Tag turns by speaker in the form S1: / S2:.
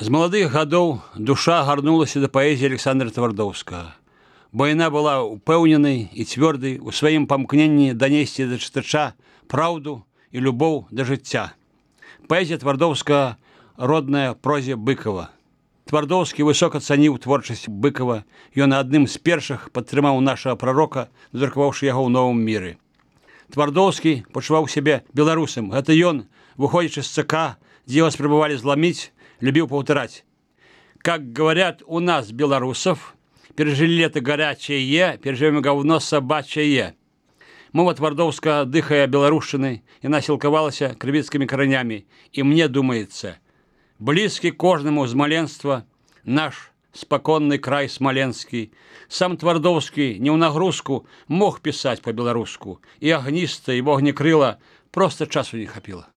S1: З маладых гадоў душа гарнулася да паэзіі Александра Твардоўскага, бо яна была упэўненай і цвёрдай у сваім памкненні данесці да чытача праўду і любоў да жыцця. Паэзія Твардоўскага родная прозе Быкова. Твардоўскі высока цаніў творчасць Быкова, ён адным з першых падтрымаў нашага прарока, надрукаваўшы яго ў новым міры. Твардоўскі пачуваў сябе беларусам. Гэта ён, выходзячы з ЦК, дзе вас спрабавалі зламіць, любил повторять. Как говорят у нас, белорусов, пережили лето горячее, переживем говно собачье. Мова Твардоўскага дыхая беларушчынай, яна сілкавалася крывіцкімі каранями. И мне думается, близкий кожнаму з маленства наш спаконны край смоленскі. Сам Твардоўскі не ў нагрузку мог пісаць по-беларуску. И агніста, и вогнекрыла, просто часу не хапіла.